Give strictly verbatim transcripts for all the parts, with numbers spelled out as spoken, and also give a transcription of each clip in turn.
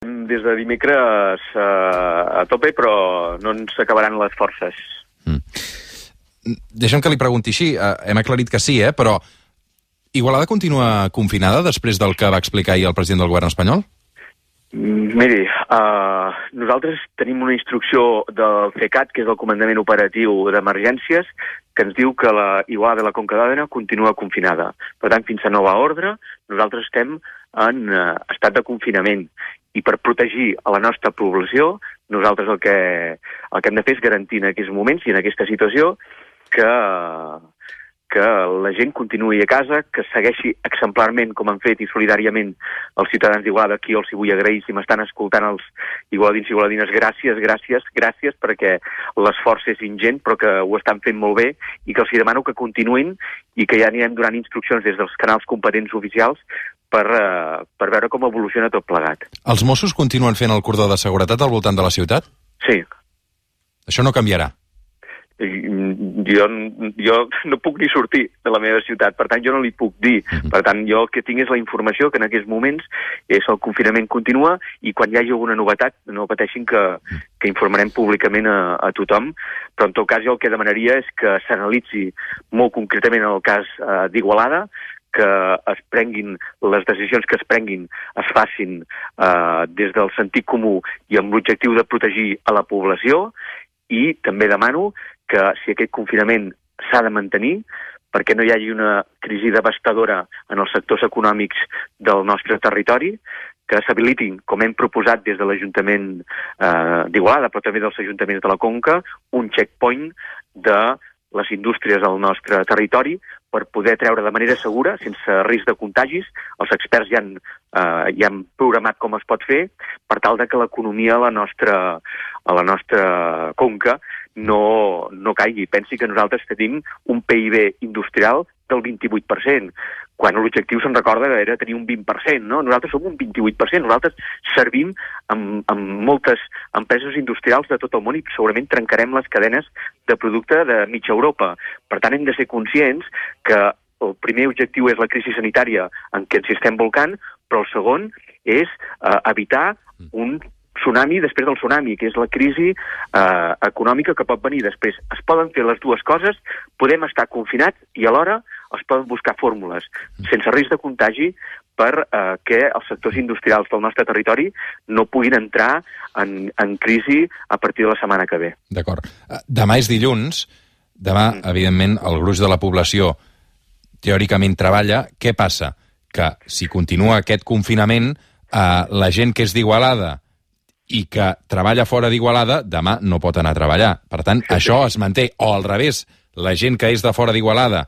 Des de dimecres uh, a tope, però no ens acabaran les forces. Mm. Deixa'm que li pregunti així. Uh, hem aclarit que sí, eh? Però Igualada continua confinada després del que va explicar ahir el president del govern espanyol? Miri, uh, nosaltres tenim una instrucció del CECAT, que és el Comandament Operatiu d'Emergències, que ens diu que la Igualada de la Conca d'Òdena continua confinada. Per tant, fins a nova ordre, nosaltres estem en uh, estat de confinament. I per protegir a la nostra població, nosaltres el que, el que hem de fer és garantir en aquests moments i en aquesta situació que, que la gent continuï a casa, que segueixi exemplarment, com han fet i solidàriament els ciutadans d'Igualada. Aquí els hi vull agrair, si m'estan escoltant els igualadins i igualadines, gràcies, gràcies, gràcies, perquè l'esforç és ingent, però que ho estan fent molt bé i que els hi demano que continuïn i que ja anirem donant instruccions des dels canals competents oficials per, uh, per veure com evoluciona tot plegat. Els Mossos continuen fent el cordó de seguretat al voltant de la ciutat? Sí. Això no canviarà? Jo, jo no puc ni sortir de la meva ciutat, per tant jo no li puc dir. Uh-huh. Per tant, jo el que tinc és la informació que en aquests moments és el confinament continua i quan hi hagi alguna novetat no pateixin que, que informarem públicament a, a tothom, però en tot cas jo el que demanaria és que s'analitzi molt concretament el cas eh, d'Igualada, que es prenguin, les decisions que es prenguin es facin eh, des del sentit comú i amb l'objectiu de protegir a la població, i també demano que si aquest confinament s'ha de mantenir, perquè no hi hagi una crisi devastadora en els sectors econòmics del nostre territori, que s'habilitin, com hem proposat des de l'Ajuntament eh, d'Igualada, però també dels ajuntaments de la Conca, un checkpoint de les indústries del nostre territori per poder treure de manera segura, sense risc de contagis. Els experts ja han, eh, ja han programat com es pot fer per tal de que l'economia a la nostra, a la nostra conca no, no caigui. Pensi que nosaltres tenim un P I B industrial del vint-i-vuit per cent, quan l'objectiu, se'n recorda, era tenir un vint per cent, no? Nosaltres som un vint-i-vuit per cent, nosaltres servim amb, amb moltes empreses industrials de tot el món i segurament trencarem les cadenes de producte de mitja Europa. Per tant, hem de ser conscients que el primer objectiu és la crisi sanitària en què ens estem volcant, però el segon és eh, evitar un tsunami després del tsunami, que és la crisi eh, econòmica que pot venir després. Es poden fer les dues coses, podem estar confinats i alhora es poden buscar fórmules sense risc de contagi per eh, que els sectors industrials del nostre territori no puguin entrar en, en crisi a partir de la setmana que ve. D'acord. Demà és dilluns, demà, mm. evidentment, el gruix de la població teòricament treballa. Què passa? Que si continua aquest confinament, eh, la gent que és d'Igualada i que treballa fora d'Igualada, demà no pot anar a treballar. Per tant, sí, això sí. es manté. O al revés, la gent que és de fora d'Igualada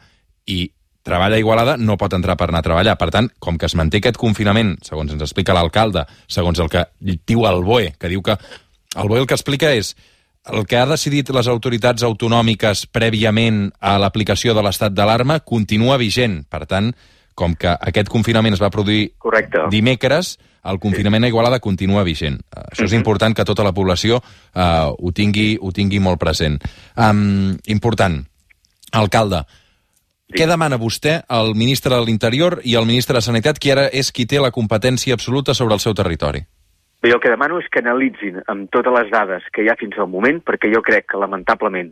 i treballa a Igualada no pot entrar per anar a treballar. Per tant, com que es manté aquest confinament, segons ens explica l'alcalde, segons el que diu el B O E, que diu que el B O E el que explica és el que ha decidit les autoritats autonòmiques prèviament a l'aplicació de l'estat d'alarma continua vigent. Per tant, com que aquest confinament es va produir Correcte. dimecres, el confinament a Igualada continua vigent. Uh, això és important que tota la població uh, ho, tingui, ho tingui molt present. Um, important. Alcalde, sí. Què demana vostè al ministre de l'Interior i al ministre de Sanitat, qui ara és qui té la competència absoluta sobre el seu territori? Bé, el que demano és que analitzin amb totes les dades que hi ha fins al moment, perquè jo crec que, lamentablement,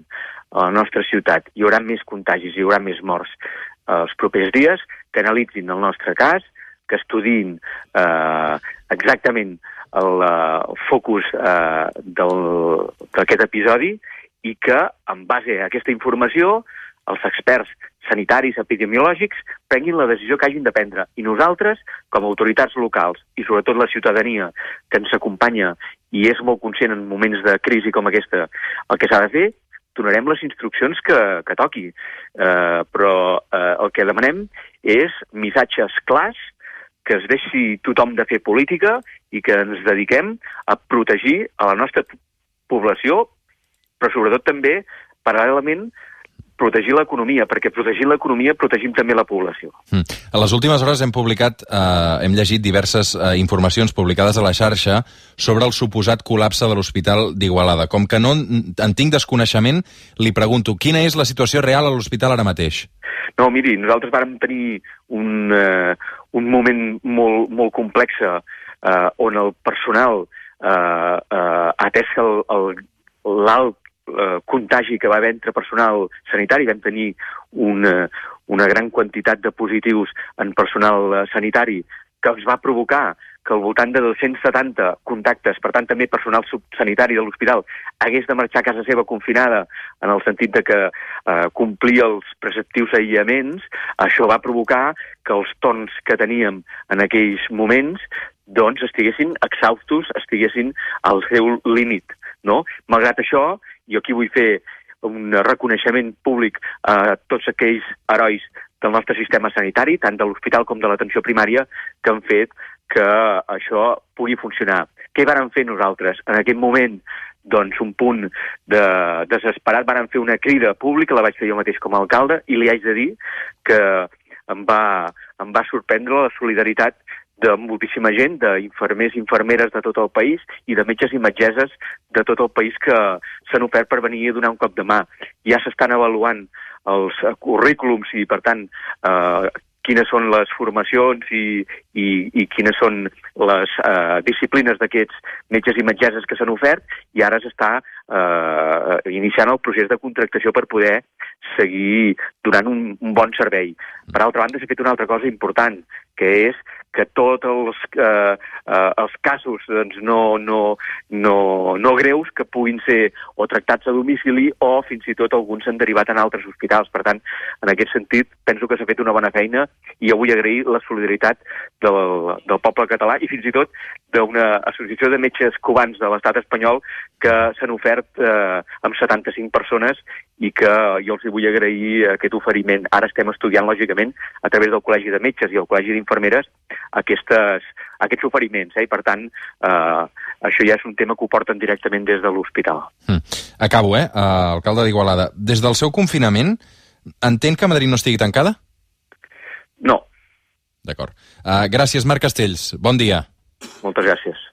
a la nostra ciutat hi haurà més contagis, hi haurà més morts eh, els propers dies, que analitzin el nostre cas, que estudiïn eh, exactament el, el focus eh, d'aquest episodi i que, en base a aquesta informació, els experts sanitaris, epidemiològics, prenguin la decisió que hagin de prendre. I nosaltres, com a autoritats locals, i sobretot la ciutadania que ens acompanya i és molt conscient en moments de crisi com aquesta, el que s'ha de fer, donarem les instruccions que, que toqui. Eh, però eh, el que demanem és missatges clars, que es deixi tothom de fer política i que ens dediquem a protegir a la nostra població, però sobretot també, paral·lelament, protegir l'economia, perquè protegint l'economia protegim també la població. Mm. A les últimes hores hem publicat, eh, hem llegit diverses eh, informacions publicades a la xarxa sobre el suposat col·lapse de l'Hospital d'Igualada. Com que no en tinc desconeixement, li pregunto, quina és la situació real a l'hospital ara mateix? No, miri, nosaltres vàrem tenir un, uh, un moment molt, molt complex eh, on el personal eh, eh, atès que l'alt eh, contagi que va haver entre personal sanitari, vam tenir una, una gran quantitat de positius en personal eh, sanitari, que es va provocar que al voltant de dos-cents setanta contactes, per tant també personal sanitari de l'hospital, hagués de marxar a casa seva confinada, en el sentit de que eh, complia els preceptius aïllaments. Això va provocar que els torns que teníem en aquells moments doncs estiguessin exhaustos, estiguessin al seu límit, no? Malgrat això, jo aquí vull fer un reconeixement públic a tots aquells herois del nostre sistema sanitari, tant de l'hospital com de l'atenció primària, que han fet que això pugui funcionar. Què vàrem fer nosaltres? En aquest moment, doncs, un punt de desesperat, vàrem fer una crida pública, la vaig fer jo mateix com a alcalde, i li haig de dir que em va, em va sorprendre la solidaritat de moltíssima gent, d'infermers i infermeres de tot el país i de metges i metgesses de tot el país que s'han ofert per venir a donar un cop de mà. Ja s'estan avaluant els currículums i, per tant, eh, quines són les formacions i, i, i quines són les eh, disciplines d'aquests metges i metgesses que s'han ofert, i ara s'està eh, iniciant el procés de contractació per poder seguir donant un, un bon servei. Per altra banda, s'ha fet una altra cosa important, que és que tots els, eh, eh, els casos doncs, no, no, no, no greus que puguin ser o tractats a domicili o fins i tot alguns s'han derivat en altres hospitals. Per tant, en aquest sentit, penso que s'ha fet una bona feina i jo vull agrair la solidaritat del, del poble català i fins i tot d'una associació de metges cubans de l'estat espanyol que s'han ofert eh, amb setanta-cinc persones i que jo els vull agrair aquest oferiment. Ara estem estudiant, lògicament, a través del Col·legi de Metges i el Col·legi d'Infermeres, aquestes, aquests oferiments, eh? I per tant, eh, això ja és un tema que ho porten directament des de l'hospital. Mm. Acabo, eh? Uh, alcalde d'Igualada. Des del seu confinament, entén que Madrid no estigui tancada? No. D'acord. Uh, gràcies, Marc Castells. Bon dia. Moltes gràcies.